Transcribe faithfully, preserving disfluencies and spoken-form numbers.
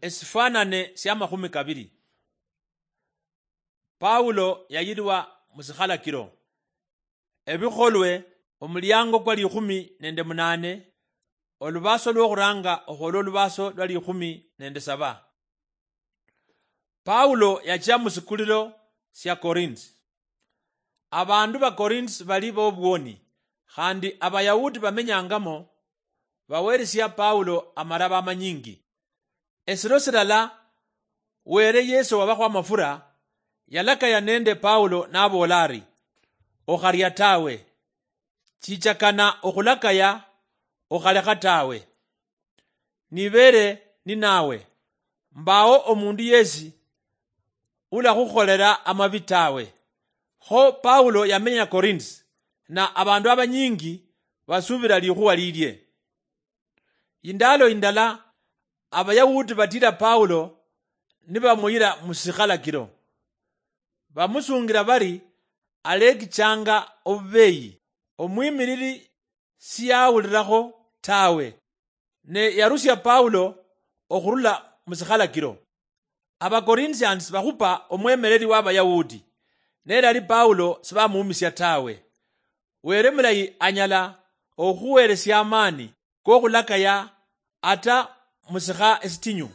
Esifanane sia makhumi kabiri. Paulo yayirwa mu sikhalakiro. Ebikholwe, omuliango kwa likhumi nende munane, olubaso lwokhuranga okhwola olubaso lwa likhumi nende saba. Paulo yachia mu sikulilo sia Korinti. Abandu ba Korinti bali bobwoni, khandi Abayahudi bamenyangamo baweresia Paulo amaraba amanyingi. Esiro silala, Were Yesu wabakhwa amafura yalakaya nende Paulo naboola ari, "Okharia tawe. Chichakana okhulakaya, okhalekha tawe. Nibere ninawe, mbawo omundu yesi ulakhukholera amabi tawe." Kho Paulo yamenya Korinti, na abandu abanyingi basubira likhuwa lilie. Indalo indala, Abayahudi batira Paulo nibamuyira mu sikhalakiro. Bamusungira bari alekichanga obubeyi, omwimiriri siyawulirakho tawe, ne yarusia Paulo okhurula mu sikhalakiro. Abacorinthians bakhupa omwemereri w'Abayahudi, nelali Paulo sibamuumisia tawe. Were mulayi anyala okhuweresia amaani kokhulakaya ata musikha esitinyu.